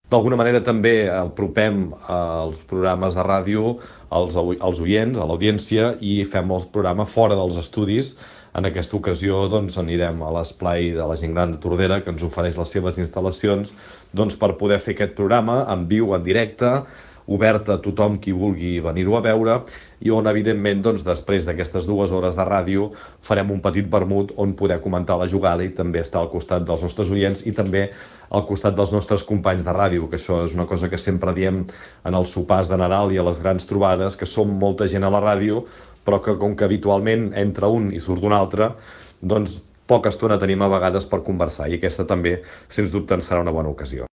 D'alguna manera també apropem els programes de ràdio als oients, a l'audiència, i fem el programa fora dels estudis. En aquesta ocasió doncs, anirem a l'esplai de la gent gran de Tordera, que ens ofereix les seves instal·lacions doncs, per poder fer aquest programa en viu, en directe, obert a tothom qui vulgui venir-ho a veure, i on, evidentment, doncs, després d'aquestes 2 hores de ràdio, farem un petit vermut on poder comentar la jugada i també estar al costat dels nostres oients i també al costat dels nostres companys de ràdio, que això és una cosa que sempre diem en els sopars de Nadal i a les grans trobades, que som molta gent a la ràdio, però que com que habitualment entra un i surt un altre, doncs poca estona tenim a vegades per conversar, i aquesta també, sens dubte, en serà una bona ocasió.